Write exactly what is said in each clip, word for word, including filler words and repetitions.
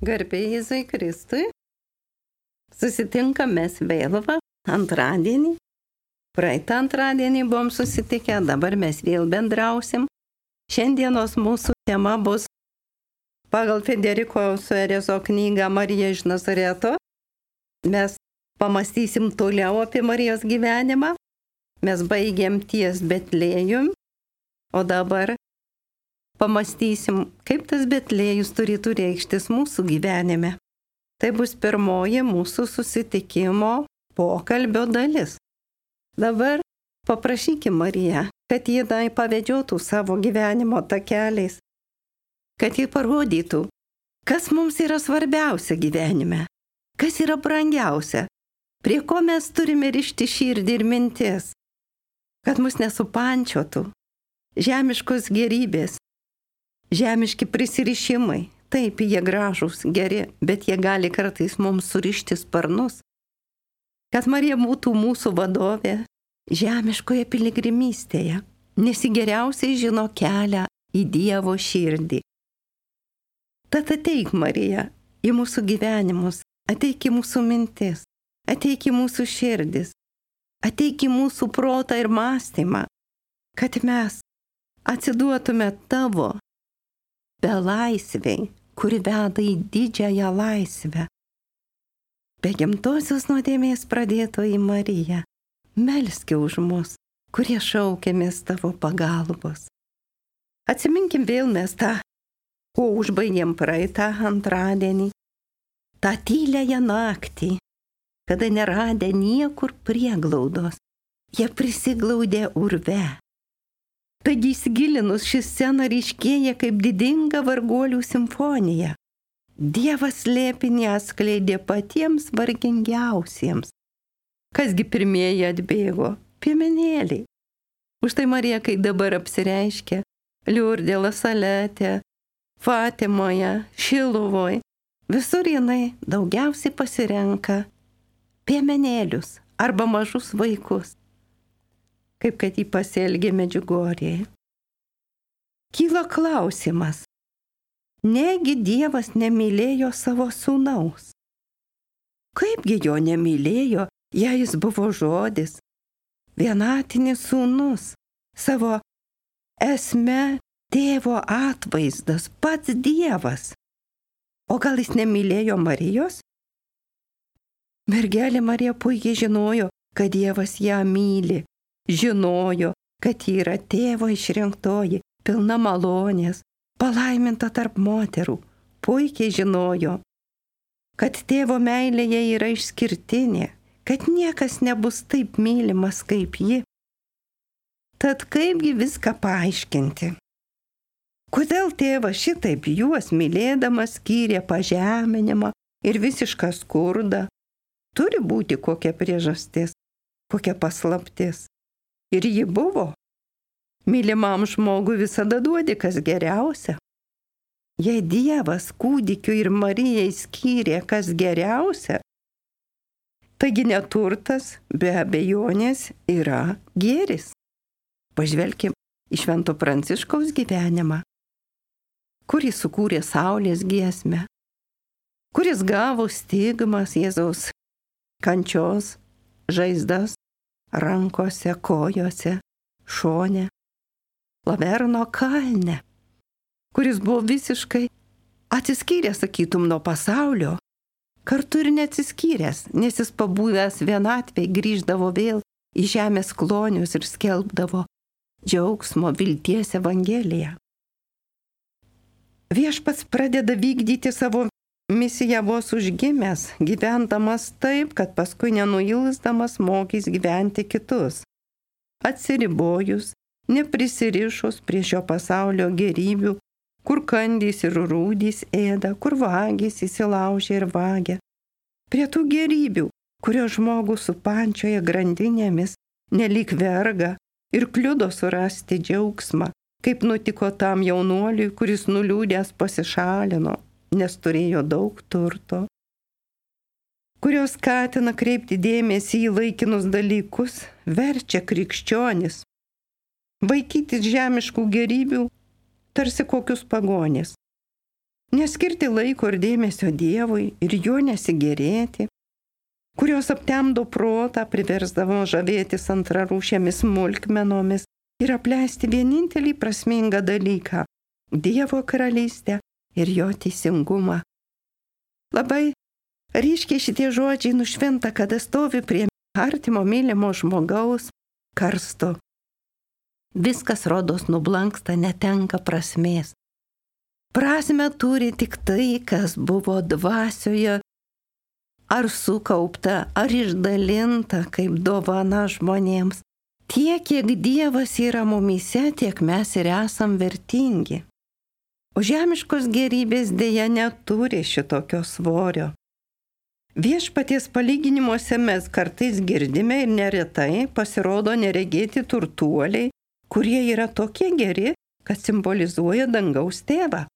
Garbė Jėzui Kristui. Susitinkam mes vėl va, antradienį. Praeitą antradienį buvom susitikę, dabar mes vėl bendrausim. Šiandienos mūsų tema bus pagal Federiko Suerezo knygą Marija iš Nazareto. Mes pamastysim toliau apie Marijos gyvenimą. Mes baigėm ties Betlėjum, o dabar pamastysim, kaip tas Betlėjus turėtų reikštis mūsų gyvenime. Tai bus pirmoji mūsų susitikimo pokalbio dalis. Dabar paprašykim Mariją, kad ji tai pavedžiotų savo gyvenimo takeliais, kad ji parodytų, kas mums yra svarbiausia gyvenime, kas yra brangiausia, prie ko mes turime rišti širdį ir mintis, kad mus nesupančiotų žemiškos gerybės, žemiški prisirišimai. Taip, jie gražūs, geri, bet jie gali kartais mums surišti sparnus. Kad Marija būtų mūsų vadovė žemiškoje piligrimystėje, nes ji geriausiai žino kelią į Dievo širdį. Tad ateik, Marija, į mūsų gyvenimus, ateik į mūsų mintis, ateik į mūsų širdis, ateik į mūsų protą ir mąstymą, kad mes atsiduotume tavo belaisviai, kuri veda į didžiąją laisvę. Be gimtosios nuodėmės pradėtoji Marija, melski už mus, kurie šaukiamės tavo pagalbos. Atsiminkim vėl mes tą, ko užbaigėm praeitą antradienį, tą tyliąją naktį, kada neradę niekur prieglaudos, jie prisiglaudė urve. Taigi įsigilinus ši scena ryškėja kaip didinga varguolių simfonija. Dievas slėpinį atskleidė patiems vargingiausiems. Kasgi pirmieji atbėgo? Piemenėliai. Užtai Marija, kai dabar apsireiškia Liurdė, Lasalete, Fatimoje, Šiluvoje, visur jinai daugiausiai pasirenka piemenėlius arba mažus vaikus, kaip kad jį pasielgė Medžiugorėje. Kyla klausimas, negi Dievas nemylėjo savo sūnaus? Kaipgi jo nemylėjo, jei jis buvo žodis, vienatinis sūnus, savo esme tėvo atvaizdas, pats Dievas? O gal jis nemylėjo Marijos? Mergelė Marija puikiai žinojo, kad Dievas ją myli. Žinojo, kad ji yra tėvo išrinktoji, pilna malonės, palaiminta tarp moterų. Puikiai žinojo, kad tėvo meilėje yra išskirtinė, kad niekas nebus taip mylimas kaip ji. Tad kaipgi viską paaiškinti? Kodėl tėvas šitaip juos mylėdamas skyrė pažeminimą ir visišką skurdą? Turi būti kokia priežastis, kokia paslaptis. Ir ji buvo. Mylimam žmogui visada duodi kas geriausia. Jei Dievas kūdikiu ir Marijai skyrė kas geriausia, taigi neturtas be abejonės yra gėris. Pažvelkim į Švento Pranciškaus gyvenimą, kuris sukūrė saulės giesmę, kuris gavo stigmas Jėzaus kančios žaizdas rankose, kojose, šone, Laverno kalne, kuris buvo visiškai atsiskyręs, sakytum, nuo pasaulio, kartu ir neatsiskyręs, nes jis pabuvęs vienatvėj grįždavo vėl į žemės klonius ir skelbdavo džiaugsmo, vilties evangeliją. Viešpats pradeda vykdyti savo misiją vos užgimęs, gyvendamas taip, kad paskui nenuilsdamas mokys gyventi kitus. Atsiribojus, neprisirišus prie šio pasaulio gerybių, kur kandys ir rūdys ėda, kur vagys įsilaužia ir vagia. Prie tų gerybių, kurio žmogų supančioje grandinėmis nelyg verga ir kliudo surasti džiaugsmą, kaip nutiko tam jaunuoliui, kuris nuliūdęs pasišalino, nes turėjo daug turto, kurios skatina kreipti dėmesį į laikinus dalykus, verčia krikščionis vaikytis žemiškų gerybių tarsi kokius pagonis, neskirti laiko ir dėmesio Dievui ir jo nesigėrėti, kurios aptemdo protą, priversdavo žavėtis antrarūšėmis smulkmenomis ir apleisti vienintelį prasmingą dalyką – Dievo karalystę ir jo teisingumą. Labai ryškiai šitie žodžiai nušvinta, kada stovi prie artimo mylimo žmogaus karsto. Viskas rodos nublanksta, netenka prasmės. Prasmę turi tik tai, kas buvo dvasioje, ar sukaupta, ar išdalinta kaip dovana žmonėms. Tiek, kiek Dievas yra mumyse, tiek mes ir esam vertingi. O žemiškos gėrybės dėja neturi šitokio svorio. Viešpaties palyginimuose mes kartais girdime ir neretai pasirodo neregėti turtuoliai, kurie yra tokie geri, kad simbolizuoja dangaus tėvą.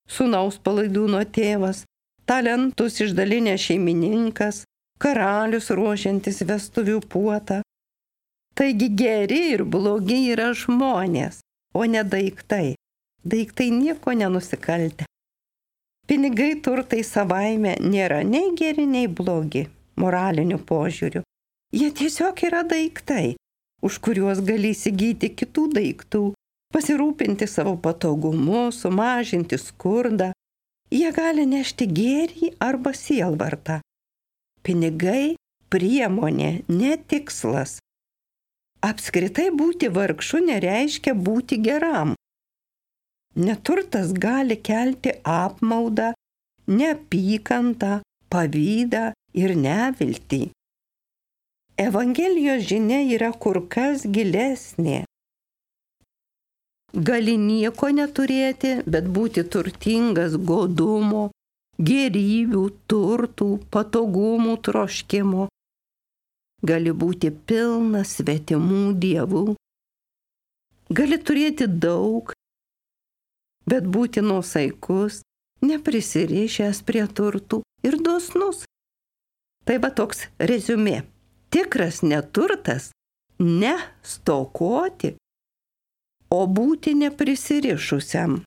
Sūnaus palaidūno tėvas, talentus išdalinęs šeimininkas, karalius ruošiantis vestuvių puotą. Taigi geri ir blogi yra žmonės, o ne daiktai. Daiktai nieko nenusikaltę. Pinigai, turtai savaime nėra nei geri, nei blogi moraliniu požiūriu. Jie tiesiog yra daiktai, už kuriuos gali įsigyti kitų daiktų, pasirūpinti savo patogumu, sumažinti skurdą. Jie gali nešti gėrį arba sielvartą. Pinigai – priemonė, ne tikslas. Apskritai būti vargšu nereiškia būti geram. Neturtas gali kelti apmaudą, neapykantą, pavydą ir neviltį. Evangelijos žinia yra kur kas gilesnė. Gali nieko neturėti, bet būti turtingas godumo, gėrybių, turtų, patogumų troškimo. Gali būti pilnas svetimų dievų. Gali turėti daug, bet būti nuosaikus, neprisirišęs prie turtų ir dosnus. Tai va toks reziumė. Tikras neturtas – ne stokoti, o būti neprisirišusiam.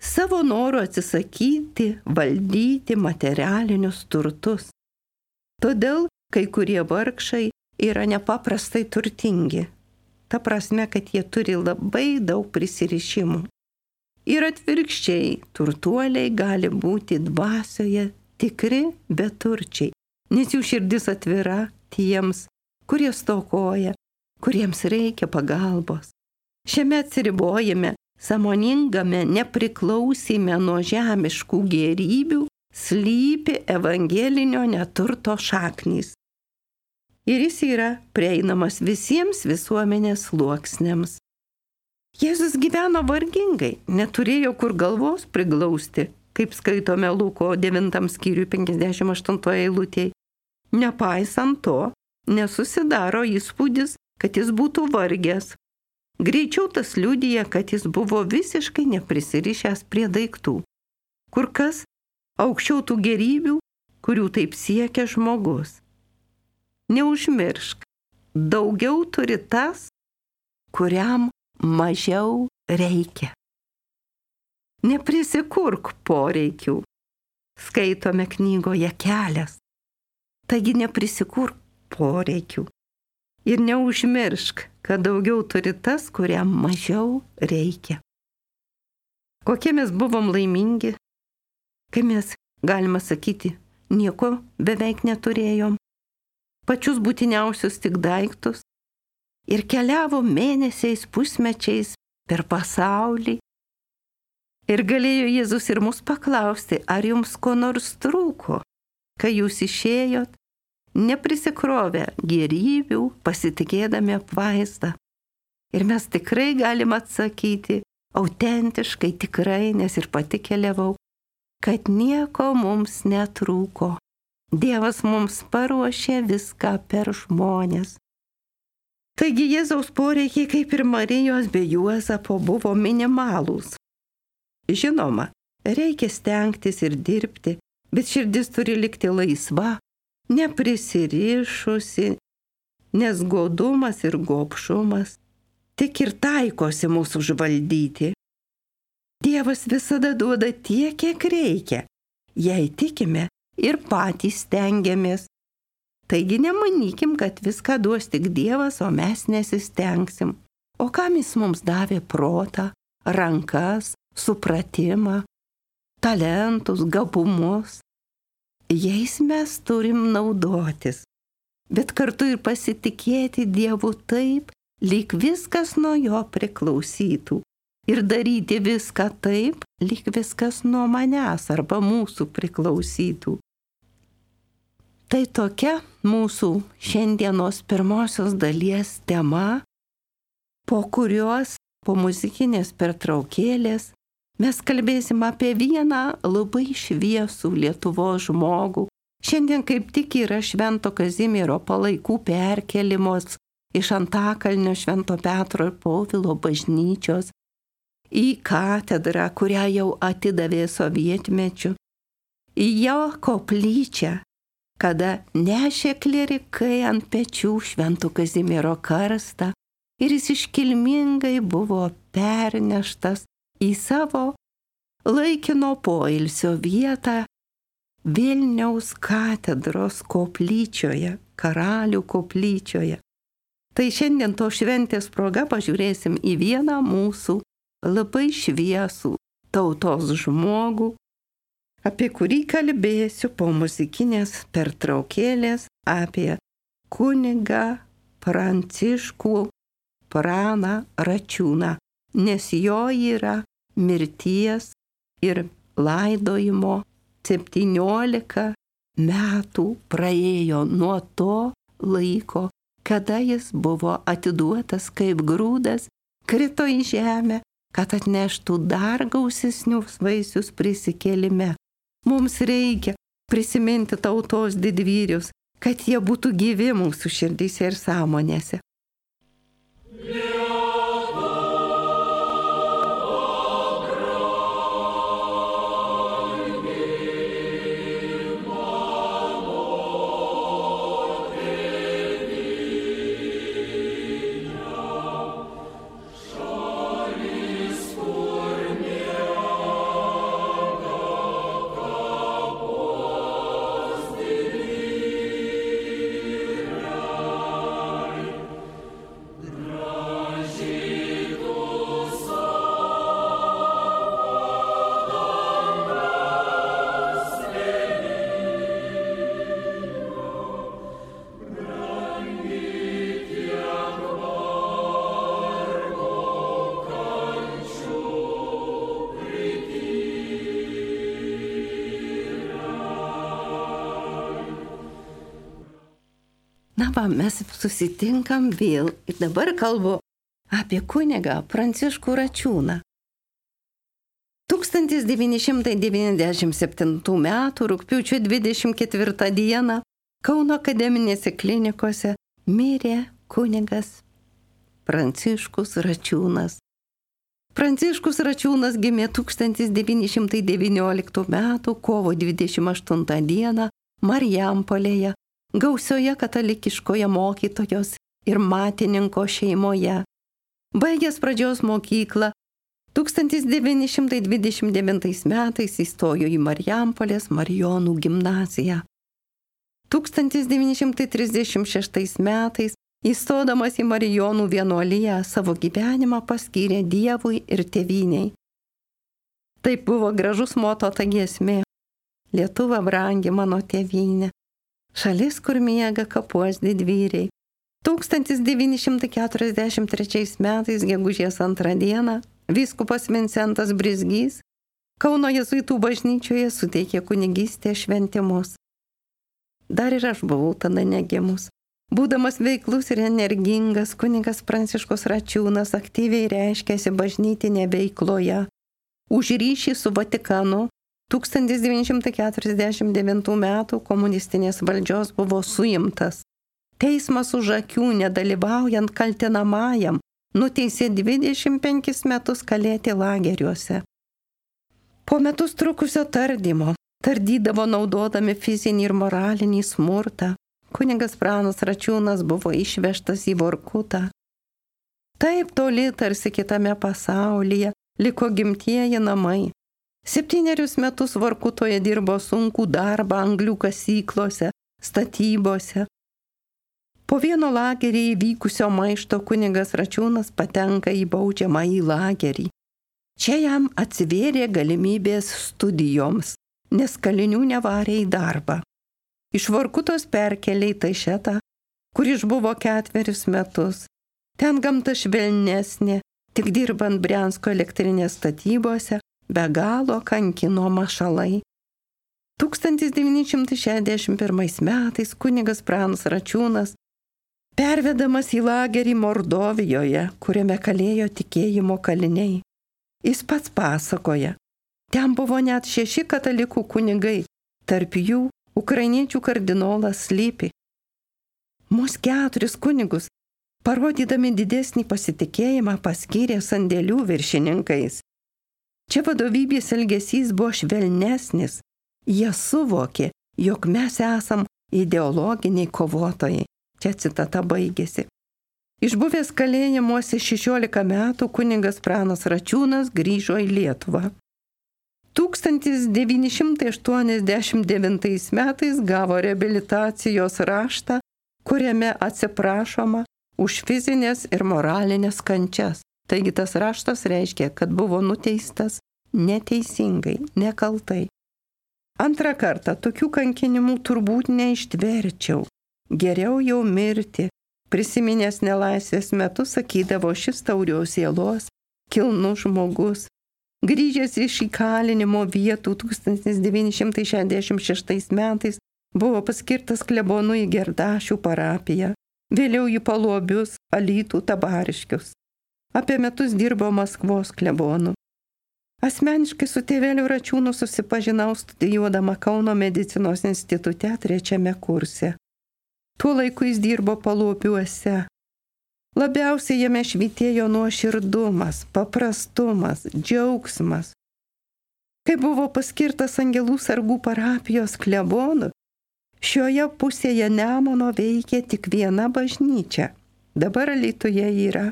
Savo noru atsisakyti, valdyti materialinius turtus. Todėl kai kurie vargšai yra nepaprastai turtingi. Ta prasme, kad jie turi labai daug prisirišimų. Ir atvirkščiai, turtuoliai gali būti dvasioje tikri beturčiai, nes jų širdis atvira tiems, kurie stokoja, kuriems reikia pagalbos. Šiame atsiribojime, sąmoningame nepriklausime nuo žemiškų gėrybių, slypi evangelinio neturto šaknys. Ir jis yra prieinamas visiems visuomenės sluoksniams. Jėzus gyveno vargingai, neturėjo kur galvos priglausti, kaip skaitome Luko devintam skyriui penkiasdešimt aštuntoje eilutėje. Nepaisant to, nesusidaro įspūdis, kad jis būtų vargęs. Greičiau tas liudija, kad jis buvo visiškai neprisirišęs prie daiktų. Kur kas aukščiau tų gėrybių, kurių taip siekia žmogus. Neužmiršk, daugiau turi tas, kuriam mažiau reikia. Neprisikurk poreikių. Skaitome knygoje Kelias. Taigi neprisikurk poreikių. Ir neužmiršk, kad daugiau turi tas, kuriam mažiau reikia. Kokie mes buvom laimingi, kai mes, galima sakyti, nieko beveik neturėjom. Pačius būtiniausius tik daiktus. Ir keliavo mėnesiais, pusmečiais per pasaulį. Ir galėjo Jėzus ir mus paklausti, ar jums ko nors trūko, kai jūs išėjot, neprisikrovę gėrybių, pasitikėdami apvaizdą. Ir mes tikrai galim atsakyti, autentiškai tikrai, nes ir pati keliavau, kad nieko mums netrūko. Dievas mums paruošė viską per žmonės. Taigi Jėzaus poreikiai, kaip ir Marijos bei Juozapo, buvo minimalūs. Žinoma, reikia stengtis ir dirbti, bet širdis turi likti laisva, neprisirišusi, nes godumas ir gobšumas tik ir taikosi mūsų užvaldyti. Dievas visada duoda tiek, kiek reikia. Jei tikime ir patys stengiamės. Taigi nemanykim, kad viską duos tik Dievas, o mes nesistengsim. O kam jis mums davė protą, rankas, supratimą, talentus, gabumus? Jais mes turim naudotis, bet kartu ir pasitikėti Dievu taip, lyg viskas nuo jo priklausytų. Ir daryti viską taip, lyg viskas nuo manęs arba mūsų priklausytų. Tai tokia mūsų šiandienos pirmosios dalies tema, po kurios, po muzikinės pertraukėlės, mes kalbėsim apie vieną labai šviesų Lietuvos žmogų. Šiandien kaip tik yra Švento Kazimiero palaikų perkelimos iš Antakalnio Švento Petro ir Povilo bažnyčios į katedrą, kurią jau atidavė sovietmečiu, į jo koplyčią, kada nešė klierikai ant pečių Švento Kazimiero karstą ir jis iškilmingai buvo perneštas į savo laikino poilsio vietą Vilniaus katedros koplyčioje, Karalių koplyčioje. Tai šiandien to šventės proga pažiūrėsim į vieną mūsų labai šviesų tautos žmogų, apie kurį kalbėsiu po muzikinės pertraukėlės, apie kunigą Pranciškų Praną Račiūną, nes jo yra mirties ir laidojimo septyniolika metų praėjo nuo to laiko, kada jis buvo atiduotas kaip grūdas, krito į žemę, kad atneštų dar gausesnius vaisius prisikėlime. Mums reikia prisiminti tautos didvyrius, kad jie būtų gyvi mūsų širdyse ir sąmonėse. Na va, mes susitinkam vėl ir dabar kalbu apie kunigą Pranciškų Račiūną. tūkstantis devyni šimtai devyniasdešimt septintų metų rugpjūčio dvidešimt ketvirtą dieną Kauno akademinėse klinikose mirė kunigas Pranciškus Račiūnas. Pranciškus Račiūnas gimė tūkstantis devyni šimtai devynioliktų metų kovo dvidešimt aštuntą dieną Marijampolėje, gausioje katalikiškoje mokytojos ir matininko šeimoje. Baigęs pradžios mokyklą, tūkstantis devyni šimtai dvidešimt devintais metais įstojo į Marijampolės Marijonų gimnaziją. tūkstantis devyni šimtai trisdešimt šeštais metais, įstodamas į Marijonų vienuoliją, savo gyvenimą paskyrė Dievui ir tėvynei. Taip buvo gražus moto ta giesmė: Lietuva brangi mano tėvynė, šalis, kur miega kapuos didvyriai. tūkstantis devyni šimtai keturiasdešimt trečiais metais, gegužės antrą dieną, vyskupas Vincentas Brizgys Kauno jėzuitų bažnyčioje suteikė kunigystės šventimus. Dar ir aš buvau tada negimus. Būdamas veiklus ir energingas, kunigas Pranciškus Račiūnas aktyviai reiškėsi bažnytinė veikloje. Už ryšį su Vatikanu tūkstantis devyni šimtai keturiasdešimt devintų metų komunistinės valdžios buvo suimtas. Teismas už akių, nedalyvaujant kaltinamajam, nuteisė dvidešimt penkis metus kalėti lageriuose. Po metus trukusio tardymo, tardydavo naudodami fizinį ir moralinį smurtą, kunigas Pranas Račiūnas buvo išvežtas į Vorkutą. Taip toli tarsi kitame pasaulyje, liko gimtieji namai. Septynerius metus Vorkutoje dirbo sunkų darbą anglių kasyklose, statybose. Po vieno lagerį įvykusio maišto kunigas Račiūnas patenka į baudžiamąjį lagerį. Čia jam atsivėrė galimybės studijoms, nes kalinių nevarė į darbą. Iš Vorkutos perkelė į Taišetą, kur išbuvo ketverius metus. Ten gamta švelnesnė, tik dirbant Briansko elektrinės statybose, be galo kankino mašalai. tūkstantis devyni šimtai šešiasdešimt pirmais metais kunigas Pranas Račiūnas, pervedamas į lagerį Mordovijoje, kuriame kalėjo tikėjimo kaliniai. Jis pats pasakoja, ten buvo net šeši katalikų kunigai, tarp jų ukrainiečių kardinolas Slypi. Mus keturis kunigus, parodydami didesnį pasitikėjimą, paskyrė sandėlių viršininkais. Čia vadovybės elgesys buvo švelnesnis. Jie suvokė, jog mes esam ideologiniai kovotojai. Čia citata baigėsi. Išbuvęs kalėjimuose šešiolika metų kunigas Pranas Račiūnas grįžo į Lietuvą. tūkstantis devyni šimtai aštuoniasdešimt devintais metais gavo reabilitacijos raštą, kuriame atsiprašoma už fizinės ir moralinės kančias. Taigi tas raštas reiškia, kad buvo nuteistas neteisingai, nekaltai. Antrą kartą tokių kankinimų turbūt neištverčiau. Geriau jau mirti. Prisiminęs nelaisvės metu sakydavo šis taurios sielos, kilnus žmogus. Grįžęs iš įkalinimo vietų tūkstantis devyni šimtai šešiasdešimt šeštais metais buvo paskirtas klebonu į Gerdašių parapiją, vėliau į Paluobius, Alytų, Tabariškius. Apie metus dirbo Maskvos klebonu. Asmeniškai su tėveliu Račiūnu susipažinau studijuodama Kauno medicinos institute trečiame kurse. Tuo laiku jis dirbo Paluobiuose. Labiausiai jame švytėjo nuoširdumas, paprastumas, džiaugsmas. Kai buvo paskirtas Angelų sargų parapijos klebonu, šioje pusėje Nemuno veikė tik viena bažnyčia. Dabar Alytuje yra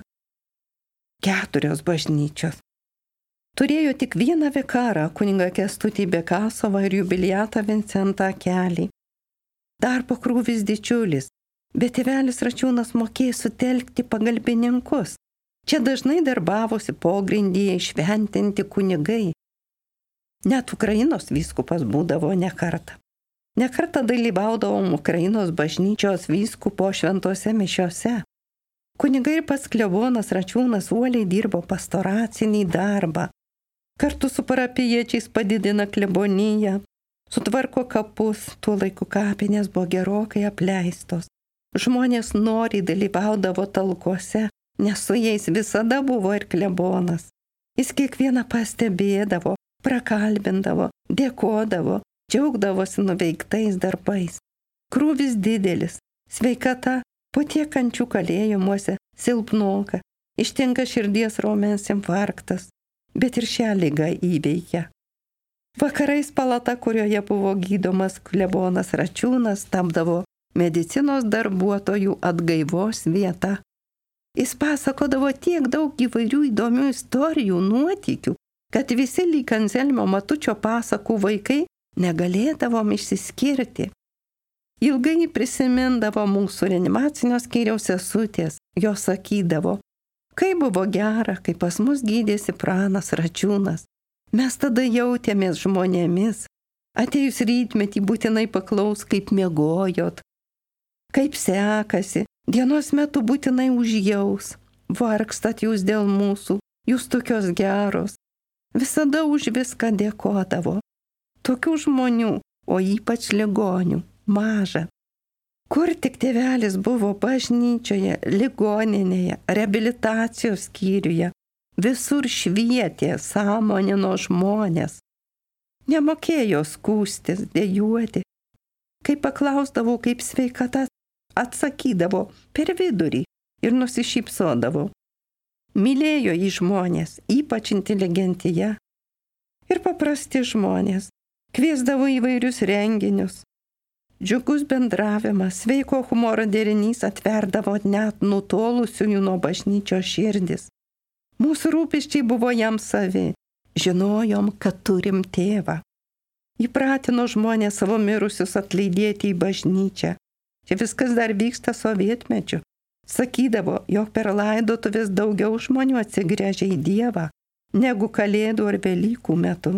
keturios bažnyčios. Turėjo tik vieną vikarą, kunigą Kęstutį Bekasovą ir jubiliatą Vincentą Kelį. Darbo krūvis didžiulis, bet tėvelis Račiūnas mokėjo sutelkti pagalbininkus. Čia dažnai darbavosi pogrindyje šventinti kunigai. Net Ukrainos vyskupas būdavo ne kartą. Ne kartą dalyvaudavom Ukrainos bažnyčios vyskupo šventose mišiose. Kunigai ir pats klebonas Račiūnas uoliai dirbo pastoracinį darbą. Kartu su parapijiečiais padidina kleboniją, sutvarko kapus, tuo laiku kapinės buvo gerokai apleistos. Žmonės noriai dalyvaudavo talkose, nes su jais visada buvo ir klebonas. Jis kiekvieną pastebėdavo, prakalbindavo, dėkodavo, džiaugdavosi nuveiktais darbais. Krūvis didelis, sveikata po tiek kančių kalėjimuose silpnoka, ištinka širdies raumens infarktas, bet ir šią ligą įveikia. Vakarais palata, kurioje buvo gydomas klebonas Račiūnas, tapdavo medicinos darbuotojų atgaivos vieta. Jis pasakodavo tiek daug įvairių įdomių istorijų, nuotykių, kad visi lyg Anzelmio Matučio pasakų vaikai negalėdavom išsiskirti. Ilgai prisimindavo mūsų reanimacinio skyriaus sesutės, jos sakydavo, kaip buvo gera, kai pas mus gydėsi Pranas Račiūnas. Mes tada jautėmės žmonėmis. Atėjus rytmetį būtinai paklaus, kaip miegojot, kaip sekasi, dienos metu būtinai užjaus, vargstat jūs dėl mūsų, jūs tokios geros. Visada už viską dėkodavo. Tokių žmonių, o ypač ligonių, maža. Kur tik tėvelis buvo bažnyčioje, ligoninėje, reabilitacijos skyriuje, visur švietė, sąmonino žmonės. Nemokėjo skūstis, dejuoti. Kai paklausdavo, kaip sveikata, atsakydavo per vidurį ir nusišypsodavo. Mylėjo į žmonės, ypač inteligentija. Ir paprasti žmonės. Kviesdavo įvairius renginius. Džiugus bendravimas, sveiko humoro derinys atverdavo net nutolusiųjų nuo bažnyčios širdis. Mūsų rūpesčiai buvo jam savi. Žinojom, kad turim tėvą. Įpratino žmonės savo mirusius atleidėti į bažnyčią. Čia viskas dar vyksta sovietmečiu. Sakydavo, jog per laidotuvės daugiau žmonių atsigręžia į Dievą, negu Kalėdų ar Velykų metu.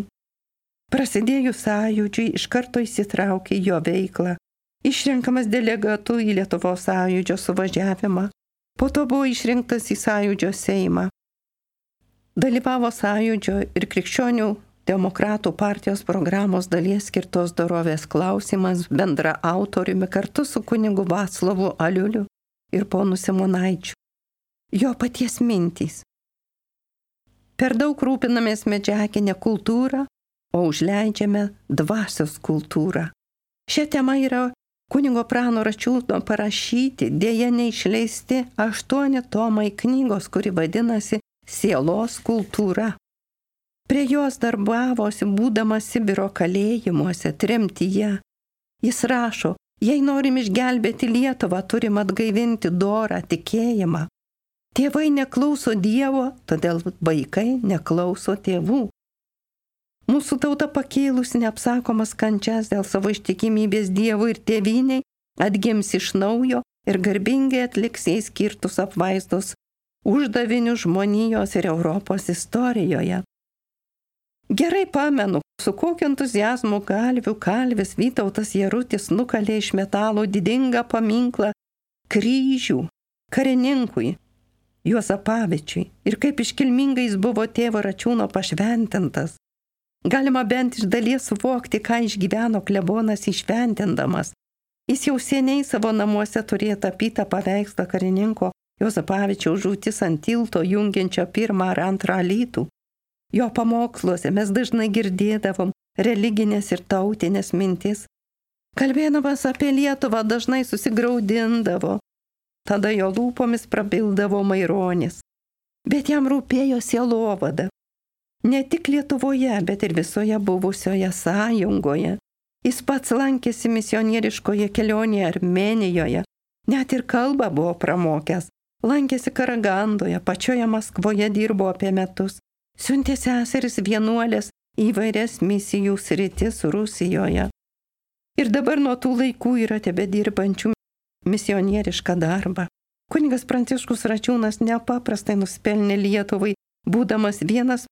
Prasidėjus sąjūdžiui iš karto įsitraukė į jo veiklą, išrenkamas delegatu į Lietuvos sąjūdžio suvažiavimą, po to buvo išrinktas į sąjūdžio Seimą. Dalyvavo sąjūdžio ir krikščionių demokratų partijos programos dalies skirtos dorovės klausimas bendra autoriumi kartu su kunigu Vaclovu Aliuliu ir ponu Simonaičiu. Jo paties mintys. Per daug rūpinamės medžiaginę kultūrą, o užleidžiame dvasios kultūrą. Šią temą yra kunigo Prano Račiūno parašyti, dėja neišleisti aštuoni tomai knygos, kuri vadinasi Sielos kultūra. Prie jos darbavosi būdamas Sibiro kalėjimuose, tremtyje. Jis rašo, jei norim išgelbėti Lietuvą, turim atgaivinti dorą tikėjimą. Tėvai neklauso Dievo, todėl vaikai neklauso tėvų. Mūsų tauta pakėlus neapsakomas kančias dėl savo ištikimybės Dievui ir tėvynei, atgims iš naujo ir garbingai atliks jai skirtus apvaizdos uždavinių žmonijos ir Europos istorijoje. Gerai pamenu, su kokiu entuziazmu Galvių kalvis Vytautas Jarutis nukalė iš metalo didingą paminklą kryžių karininkui Juozapavičiui ir kaip iškilmingai jis buvo tėvo Račiūno pašventintas. Galima bent iš dalies suvokti, ką išgyveno klebonas įšventindamas. Jis jau seniai savo namuose turėjo tapytą paveikslą karininko Juozapavičiaus žūtis ant tilto jungiančio pirmą ar antrą alytų. Jo pamoksluose mes dažnai girdėdavom religinės ir tautinės mintis. Kalbėdamas apie Lietuvą dažnai susigraudindavo. Tada jo lūpomis prabildavo Maironis. Bet jam rūpėjo sielovada. Ne tik Lietuvoje, bet ir visoje buvusioje sąjungoje. Jis pats lankėsi misionieriškoje kelionėje Armėnijoje. Net ir kalbą buvo pramokęs. Lankėsi Karagandoje, pačioje Maskvoje dirbo apie metus. Siuntė seseris vienuolės įvairias misijų sritis Rusijoje. Ir dabar nuo tų laikų yra tebedirbančių misionierišką darbą. Kunigas Pranciškus Račiūnas nepaprastai nuspelnė Lietuvai, būdamas vienas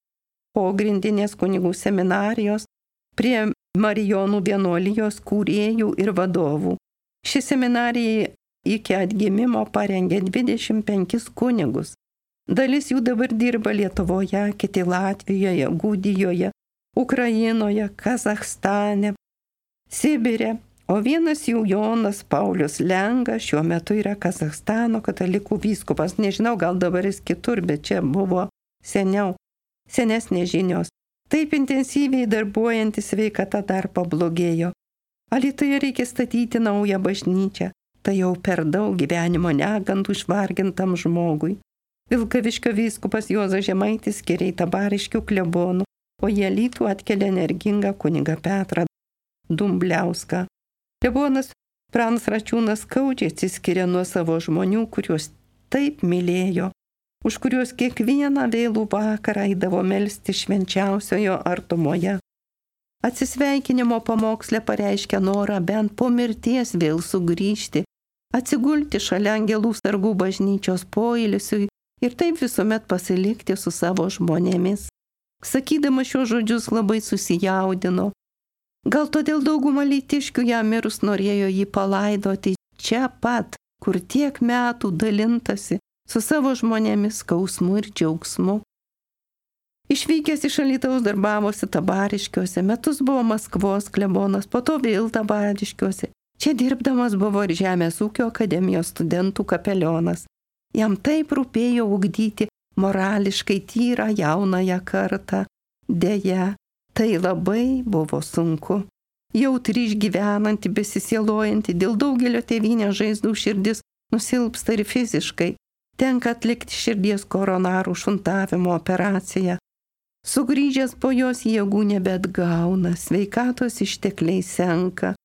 pogrindinės kunigų seminarijos prie Marijonų vienuolijos kūrėjų ir vadovų. Ši seminarija iki atgimimo parengė dvidešimt penkis kunigus. Dalis jų dabar dirba Lietuvoje, kiti Latvijoje, Gudijoje, Ukrainoje, Kazachstane, Sibire, o vienas jų Jonas Paulius Lenga šiuo metu yra Kazachstano katalikų vyskupas. Nežinau, gal dabar jis kitur, bet čia buvo seniau, senesnės žinios. Taip intensyviai darbuojantis sveikata dar pablogėjo. Alytuje reikia statyti naują bažnyčią. Tai jau per daug gyvenimo negandų išvargintam žmogui. Vilkaviškio vyskupas Juozas Žemaitis skiria į Tabariškių klebonų, o į Alytų atkelia energingą kunigą Petrą Dumbliauską. Klebonas Pranas Račiūnas skaudžiai atsiskiria nuo savo žmonių, kuriuos taip mylėjo, už kuriuos kiekvieną vėlų vakarą eidavo melsti švenčiausiojo artumoje. Atsisveikinimo pamoksle pareiškia norą bent po mirties vėl sugrįžti, atsigulti šalia angelų sargų bažnyčios poilsiui ir taip visuomet pasilikti su savo žmonėmis. Sakydama šios žodžius labai susijaudino. Gal todėl dauguma lytiškių jam mirus norėjo jį palaidoti čia pat, kur tiek metų dalintasi su savo žmonėmis skausmu ir džiaugsmu. Išvykęs iš Alytaus darbavosi Tabariškiuose, metus buvo Maskvos klebonas, po to vėl Tabariškiuose. Čia dirbdamas buvo ir Žemės ūkio akademijos studentų kapelionas. Jam taip rūpėjo ugdyti morališkai tyrą jaunąją kartą. Deja, tai labai buvo sunku. Jautri išgyvenanti, besisielojanti, dėl daugelio tėvynės žaizdų širdis nusilpsta ir fiziškai. Tenka atlikti širdies koronarų šuntavimo operaciją. Sugrįžęs po jos jėgų nebeatgauna, sveikatos ištekliai senka.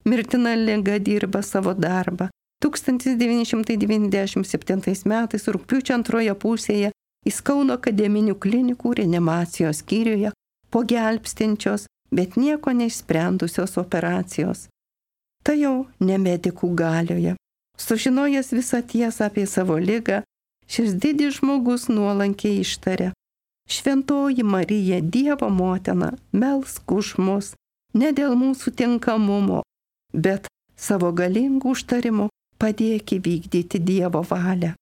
Mirtina liga dirba savo darbą. tūkstantis devyni šimtai devyniasdešimt septintais metais rugpjūčio antroje pusėje Jis Kauno akademinių klinikų reanimacijos skyriuje po gelbstinčios, bet nieko neišsprendusios operacijos. Tai jau ne medikų galioje. Sužinojęs visą tiesą apie savo ligą, šis didis žmogus nuolankiai ištarė: Šventoji Marija, Dievo motina, melsk už mus, ne dėl mūsų tinkamumo, bet savo galingų užtarimų padėk įvykdyti Dievo valią.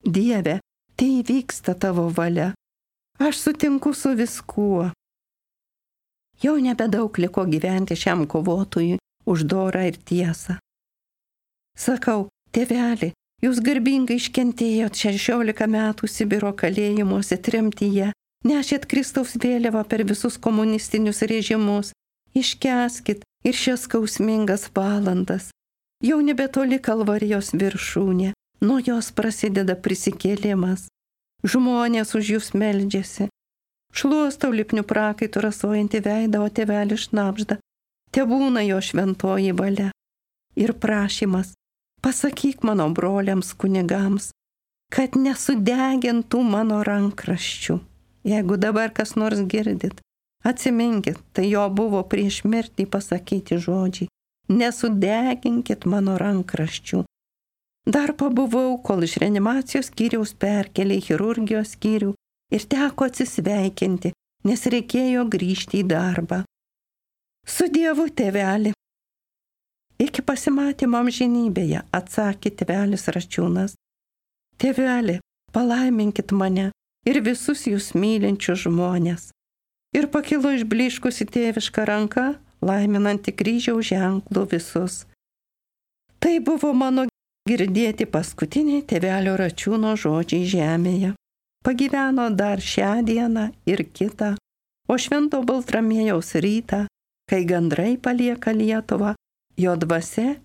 Dieve, tai įvyksta tavo valia. Aš sutinku su viskuo. Jau nebedaug liko gyventi šiam kovotojui už dorą ir tiesą. Sakau, tėveli, jūs garbingai iškentėjot šešiolika metų Sibiro kalėjimuose tremtyje, nešėt Kristaus vėliavą per visus komunistinius režimus, iškęskit ir šias skausmingas valandas. Jau nebetoli Kalvarijos viršūnė, nuo jos prasideda prisikėlimas. Žmonės už jūs meldžiasi. Šluostau lipnių prakaitų rasojantį veidą, o tėvelį šnabžda. Tebūna jo šventoji valia. Ir prašymas, pasakyk mano broliams kunigams, kad nesudegintų mano rankraščių. Jeigu dabar kas nors girdit, atsiminkit, tai jo buvo prieš mirtį pasakyti žodžiai. Nesudeginkit mano rankraščių. Dar pabuvau, kol iš reanimacijos skyriaus perkelė į chirurgijos skyrių ir teko atsisveikinti, nes reikėjo grįžti į darbą. Su Dievu, tėveli. Iki pasimatymo amžinybėje, atsakė tėvelis Račiūnas. Tėveli, palaiminkit mane ir visus jūs mylinčius žmonės. Ir pakilo išbliškusi tėviška ranka, laiminanti kryžiaus ženklų visus. Tai buvo mano girdėti paskutiniai tėvelio Račiūno žodžiai žemėje. Pagyveno dar šią dieną ir kitą, o švento Baltramiejaus rytą, kai gandrai palieka Lietuvą, jo dvasia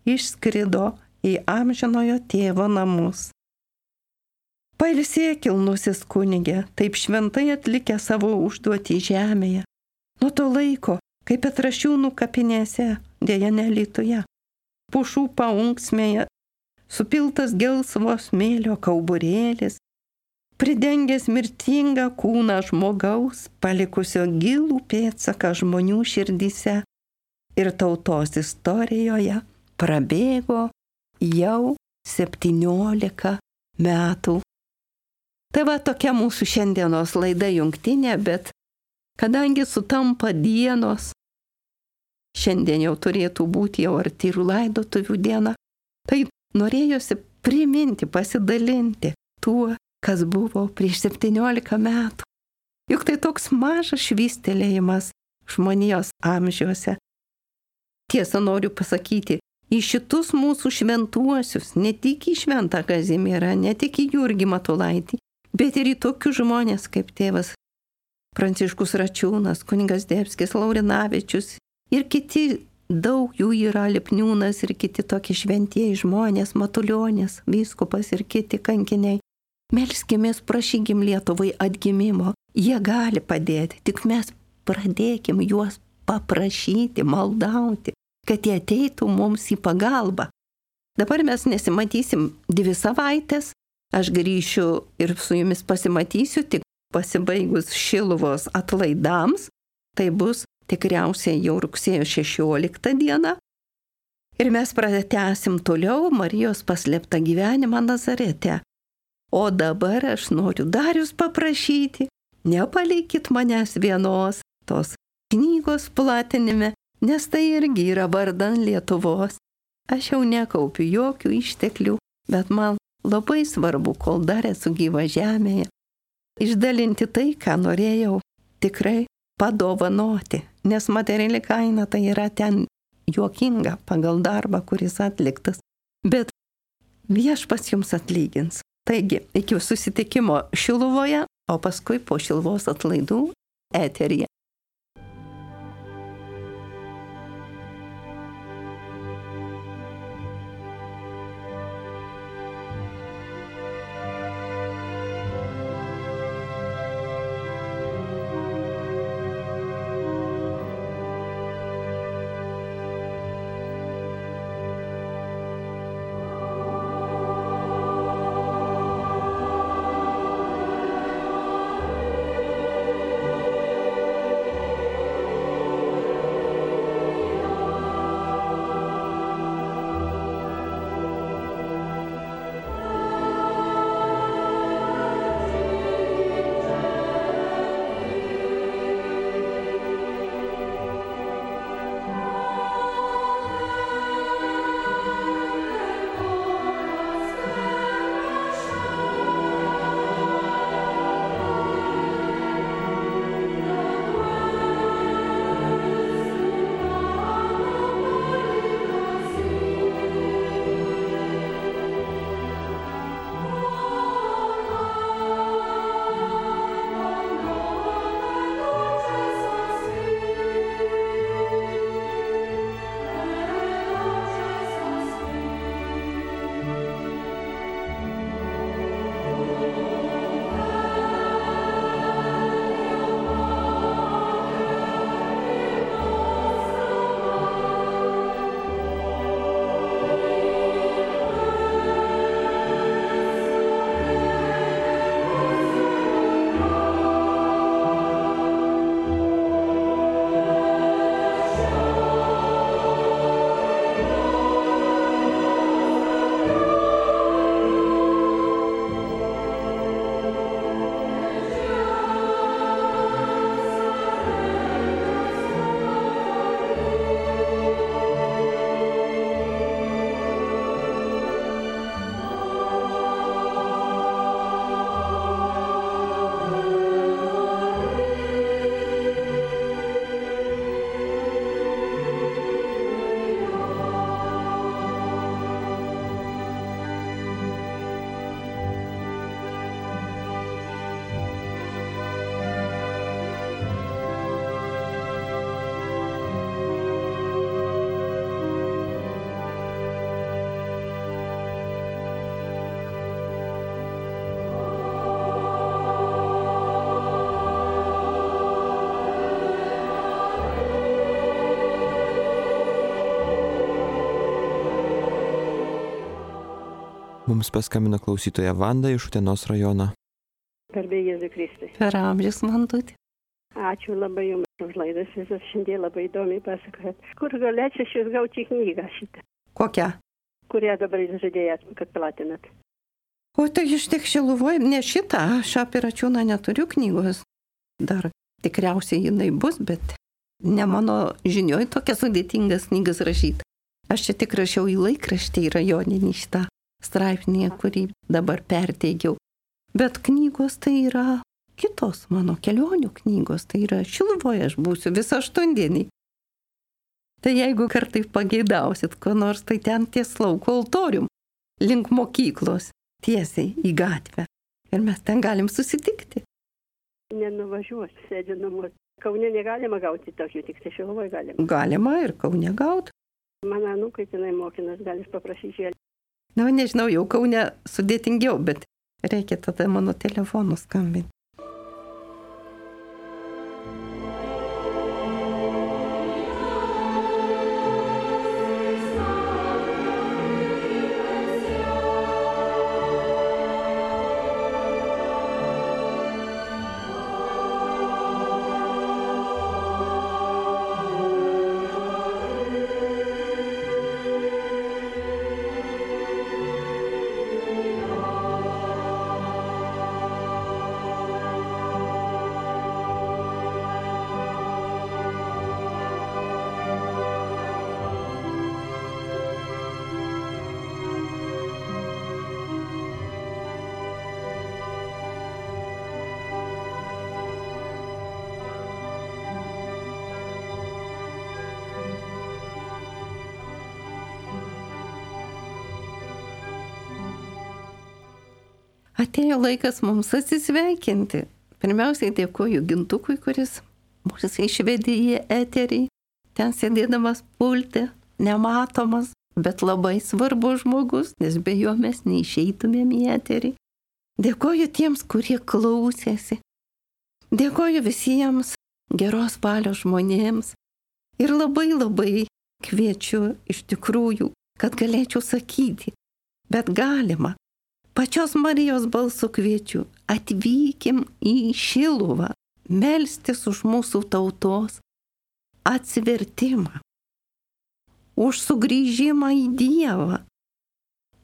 išskrido į amžinojo tėvo namus. Pailsėk, kilnusis kunigė, taip šventai atlikę savo užduotį žemėje. Nuo to laiko, kaip Petrašiūnų kapinėse, dėja ne Alytuje, pušų paunksmėje, supiltas gelsvo smėlio kauburėlis, pridengęs mirtingą kūną žmogaus, palikusio gilų pėdsaką žmonių širdyse ir tautos istorijoje, prabėgo jau septyniolika metų. Tai va tokia mūsų šiandienos laida jungtinė, bet kadangi sutampa dienos, šiandien jau turėtų būti jau artyrų laidotuvių diena, tai norėjosi priminti, pasidalinti tuo, kas buvo prieš septyniolika metų. Juk tai toks mažas švystelėjimas žmonijos amžiuose. Tiesa, noriu pasakyti, į šitus mūsų šventuosius, ne tik į Šventą Kazimierą, ne tik į Jurgį Matulaitį, bet ir į tokius žmonės kaip tėvas Pranciškus Račiūnas, kunigas Zdebskis, Laurinavičius ir kiti, daug jų yra, Lipniūnas ir kiti tokie šventieji žmonės, Matulionis, vyskupas ir kiti kankiniai. Melskimės, prašykim Lietuvai atgimimo, jie gali padėti, tik mes pradėkim juos paprašyti, maldauti, kad jie ateitų mums į pagalbą. Dabar mes nesimatysim dvi savaitės, aš grįšiu ir su jumis pasimatysiu tik pasibaigus Šiluvos atlaidams, tai bus tikriausiai jau rugsėjo šešioliktą dieną. Ir mes pratęsim toliau Marijos paslėptą gyvenimą Nazarete. O dabar aš noriu dar jūs paprašyti, nepalikit manęs vienos tos knygos platinime, nes tai irgi yra vardan Lietuvos. Aš jau nekaupiu jokių išteklių, bet man labai svarbu, kol dar esu gyva žemėje, išdalinti tai, ką norėjau tikrai padovanoti, nes materiali kaina tai yra ten juokinga pagal darbą, kuris atliktas, bet viešpats jums atlygins. Taigi, iki susitikimo Šiluvoje, o paskui po Šiluvos atlaidų eteryje. Mums paskambino klausytoja Vanda iš Utenos rajono. Garbė Jėzui Kristui. Per amžius, Vandutė. Ačiū labai jums už laidas, visas šiandien labai įdomiai pasakojat. Kur galėčiau šis gauti knygą šitą, Kokia? kurią dabar jūs žadėjot, kad platinat? O tai iš tiek Šiluvoj, ne šitą, aš apie Račiūną neturiu knygos. Dar tikriausiai jinai bus, bet ne mano žinioj tokia sudėtingas knygas rašyti. Aš čia tik rašiau į laikraštį, į rajoninį šitą straipsnį, kurį dabar perteigiau. Bet knygos tai yra kitos mano kelionių knygos, tai yra Šiluvoje aš būsiu visą aštuondienį. Tai jeigu kartai pageidausit, ko nors, tai ten ties lauko altorium, link mokyklos, tiesiai į gatvę. Ir mes ten galim susitikti. Nenuvažiuosiu, sėdžiu namuose. Kaune negalima gauti tokių, tik tai Šiluvoje galima. Galima ir Kaune gauti. Mano anūkai tenai mokinas, galis paprašyti. Na, nežinau, jau Kaune sudėtingiau, bet reikia tada mano telefonu skambinti. Atėjo laikas mums atsisveikinti. Pirmiausiai dėkoju Gintukui, kuris mūsų išvedė į eterį. Ten sėdėdamas pulte, nematomas, bet labai svarbus žmogus, nes be jo mes neišeitumėm į eterį. Dėkoju tiems, kurie klausėsi. Dėkoju visiems geros valios žmonėms. Ir labai labai kviečiu iš tikrųjų, kad galėčiau sakyti, bet galima. Pačios Marijos balsu kviečiu, atvykim į Šiluvą, melstis už mūsų tautos atsivertimą, už sugrįžimą į Dievą,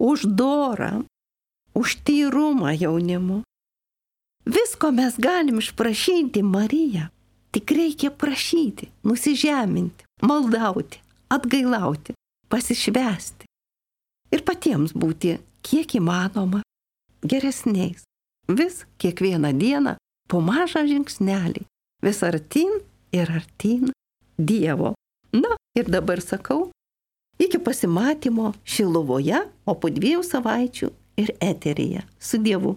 už dorą, už tyrumą jaunimu. Visko mes galim išprašyti Mariją, tik reikia prašyti, nusižeminti, maldauti, atgailauti, pasišvęsti ir patiems būti kiek įmanoma geresniais. Vis kiekvieną dieną po mažą žingsnelį, vis artyn ir artyn Dievo. Na ir dabar sakau, iki pasimatymo Šiluvoje, o po dviejų savaičių ir eteryje. Su Dievu.